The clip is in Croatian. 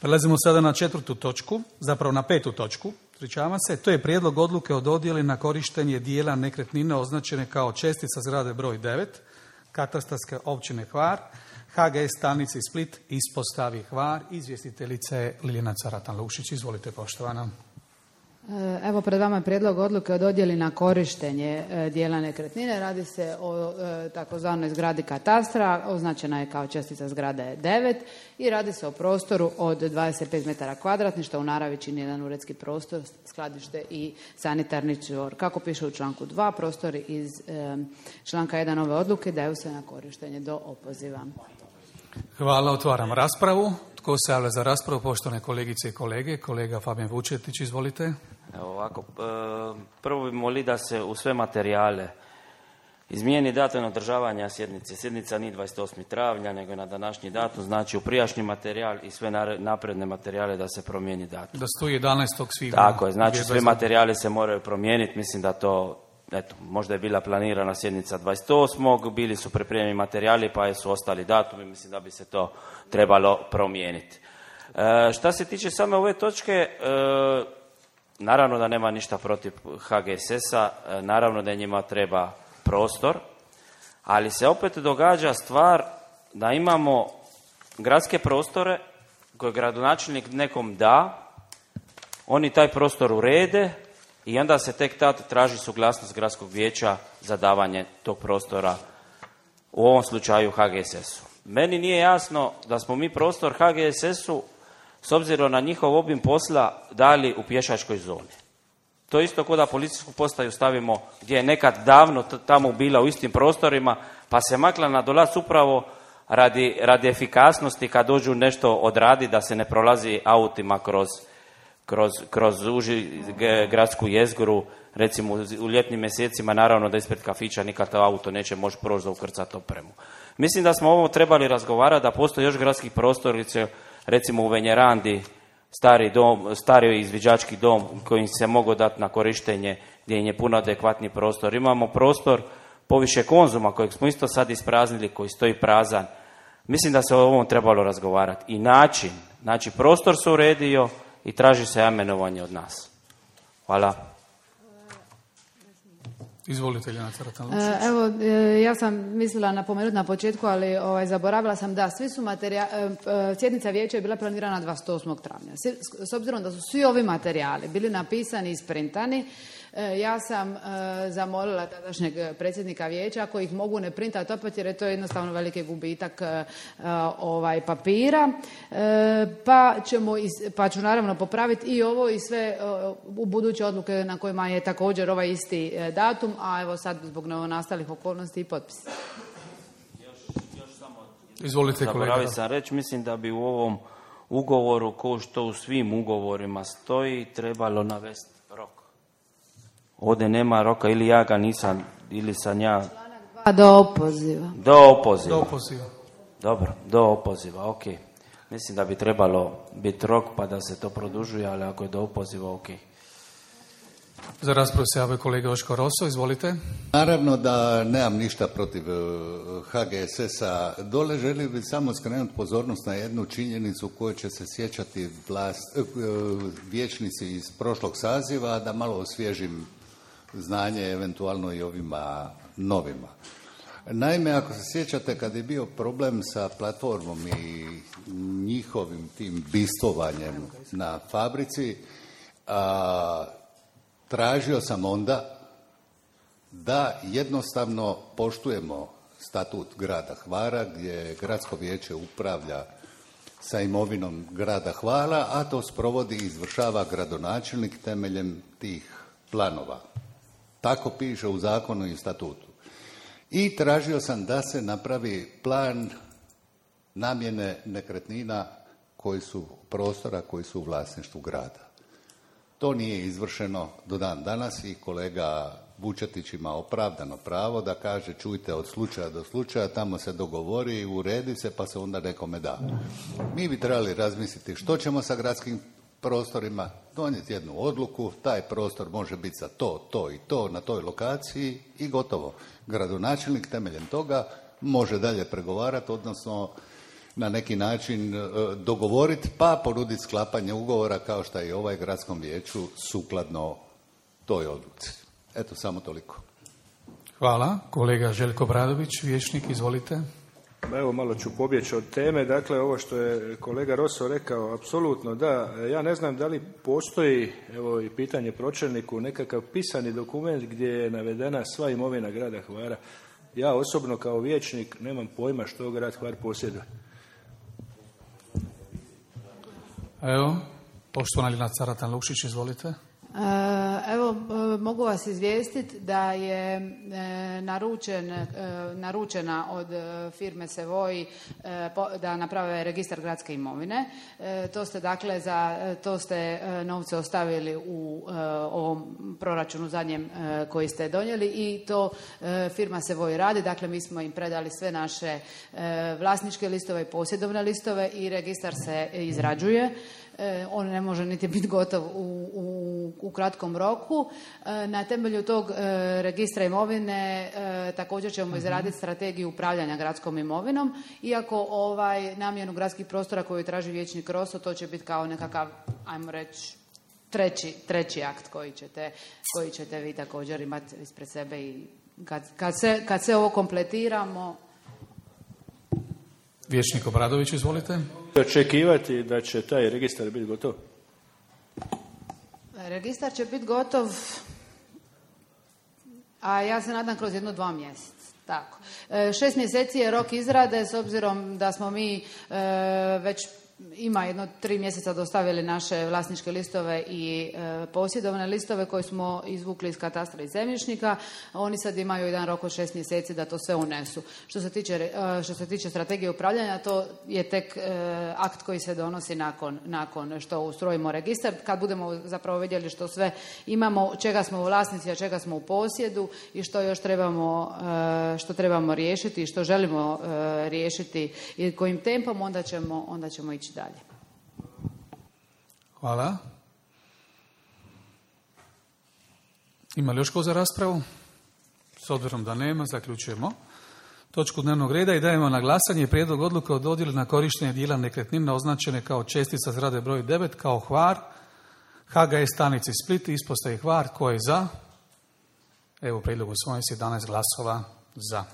Prelazimo sada na 4. točku, zapravo na 5. točku, ispričavam se. To je prijedlog odluke o dodjeli na korištenje dijela nekretnine označene kao čestica zgrade broj 9, katastarske općine Hvar, HGS stanici Split, ispostavi Hvar. Izvjestiteljica je Ljiljana Caratan-Lušić. Izvolite, poštovana. Evo, pred vama je prijedlog odluke o dodjeli na korištenje dijela nekretnine. Radi se o takozvanoj zgradi katastra, označena je kao čestica zgrade 9 i radi se o prostoru od 25 metara kvadratnih, što u naravi čini jedan uredski prostor, skladište i sanitarni čvor. Kako piše u članku 2, prostori iz članka 1 ove odluke daju se na korištenje do opoziva. Hvala, otvaram raspravu. Tko se javlja za raspravu? Poštovane kolegice i kolege. Kolega Fabijan Vučetić, izvolite. Evo ovako, prvo bi molili da se u sve materijale izmijeni datum održavanja sjednice. Sjednica nije 28. travnja, nego je na današnji datum, znači u prijašnji materijal i sve napredne materijale da se promijeni datum. Da stoji 11. svibnja. Tako je, znači sve materijale se moraju promijeniti, mislim da to, eto, možda je bila planirana sjednica 28. Bili su pripremljeni materijali pa su ostali datumi, mislim da bi se to trebalo promijeniti. Šta se tiče same ove točke, naravno da nema ništa protiv HGSS-a, naravno da njima treba prostor, ali se opet događa stvar da imamo gradske prostore koje gradonačelnik nekom da, oni taj prostor urede i onda se tek tad traži suglasnost gradskog vijeća za davanje tog prostora, u ovom slučaju HGSS-u. Meni nije jasno da smo mi prostor HGSS-u s obzirom na njihov obim posla dali u pješačkoj zoni. To isto kao da policijsku postaju stavimo gdje je nekad davno tamo bila u istim prostorima, pa se makla na dolac upravo radi efikasnosti kad dođu nešto odradi, da se ne prolazi autima kroz uži gradsku jezgru. Recimo u ljetnim mjesecima naravno da ispred kafića nikad to auto neće moći proći za ukrcati opremu. Mislim da smo ovo trebali razgovarati, da postoji još gradskih prostorice, recimo u Venjerandi, stari izviđački dom koji se mogu dati na korištenje, gdje je puno adekvatni prostor. Imamo prostor poviše Konzuma kojeg smo isto sad ispraznili, koji stoji prazan. Mislim da se o ovom trebalo razgovarati. I način, znači prostor se uredio i traži se amenovanje od nas. Hvala. Izvolite, Ljiljana Caratan-Lušić. Evo, ja sam mislila napomenuti na početku, ali zaboravila sam da svi su sjednica vijeća je bila planirana 28. travnja. S obzirom da su svi ovi materijali bili napisani i isprintani, ja sam zamolila tadašnjeg predsjednika vijeća ako ih mogu ne printati opet, jer je to jednostavno veliki gubitak papira, pa ću naravno popraviti i ovo i sve u buduće odluke na kojima je također ovaj isti datum, a evo sad zbog novonastalih okolnosti i potpis. Još samo izvolite, kolega. Zaboravio sam reći, mislim da bi u ovom ugovoru, kao što u svim ugovorima stoji, trebalo navesti rok. Ovdje nema roka, ili ja ga nisam, ili sam ja... Članak 2 do opoziva. Do opoziva. Dobro, do opoziva, ok. Mislim da bi trebalo biti rok pa da se to produžuje, ali ako je do opoziva, ok. Za raspravu se javio kolega Joško Roso, izvolite. Naravno da nemam ništa protiv HGSS-a. Dole želio bih samo skrenuti pozornost na jednu činjenicu koju će se sjećati vijećnici iz prošlog saziva, da malo osvježim znanje eventualno i ovima novima. Naime, ako se sjećate kad je bio problem sa platformom i njihovim tim bistovanjem na fabrici, tražio sam onda da jednostavno poštujemo statut grada Hvara, gdje gradsko vijeće upravlja sa imovinom grada Hvara, a to sprovodi i izvršava gradonačelnik temeljem tih planova. Tako piše u zakonu i statutu. I tražio sam da se napravi plan namjene nekretnina prostora koji su u vlasništvu grada. To nije izvršeno do dan danas i kolega Vučetić ima opravdano pravo da kaže čujte od slučaja do slučaja, tamo se dogovori, uredi se pa se onda nekome da. Mi bi trebali razmisliti što ćemo sa gradskim prostorima, donijeti jednu odluku, taj prostor može biti za to i to na toj lokaciji i gotovo. Gradonačelnik temeljem toga može dalje pregovarati, odnosno na neki način dogovoriti pa ponuditi sklapanje ugovora kao što je i ovaj gradskom vijeću sukladno toj odluci. Eto, samo toliko. Hvala. Kolega Željko Bradović, vijećnik, izvolite. Evo, malo ću pobjeći od teme. Dakle, ovo što je kolega Roso rekao, apsolutno da. Ja ne znam da li postoji, evo i pitanje pročelniku, nekakav pisani dokument gdje je navedena sva imovina grada Hvara. Ja osobno kao vijećnik nemam pojma što grad Hvar posjeduje. Evo, poštovana Lina Caratan-Lukšić, izvolite. Evo, mogu vas izvijestiti da je naručena od firme Sevoj da naprave registar gradske imovine. To ste novce ostavili u ovom proračunu zadnjem koji ste donijeli i to firma Sevoj radi. Dakle, mi smo im predali sve naše vlasničke listove i posjedovne listove i registar se izrađuje. On ne može niti biti gotov u kratkom roku. Na temelju tog registra imovine također ćemo izraditi strategiju upravljanja gradskom imovinom, iako namjenu gradskih prostora koju traži vijećnik Roso, to će biti kao nekakav, ajmo reći, treći akt koji ćete vi također imati ispred sebe i kad se ovo kompletiramo. Vijećnik Obradović, izvolite. Očekivati da će taj registar biti gotov? Registar će biti gotov, a ja se nadam kroz 1-2 mjeseca. Tako. 6 mjeseci je rok izrade, s obzirom da smo mi već ima 3 mjeseca dostavili naše vlasničke listove i posjedovne listove koje smo izvukli iz katastra i zemljišnika. Oni sad imaju jedan rok od 6 mjeseci da to sve unesu. Što se tiče strategije upravljanja, to je tek akt koji se donosi nakon što ustrojimo registar. Kad budemo zapravo vidjeli što sve imamo, čega smo u vlasnici, a čega smo u posjedu i što još trebamo riješiti i što želimo riješiti i kojim tempom, onda ćemo ići dalje. Hvala. Ima li još ko za raspravu? S obzirom da nema, zaključujemo točku dnevnog reda i dajemo na glasanje prijedlog odluke o dodjeli na korištenje dijela nekretnina označene kao čestica zgrade broj 9 kao Hvar, HGS stanici Split, ispostavi Hvar. Tko je za? Evo, prijedlog usvojen s 11 glasova za.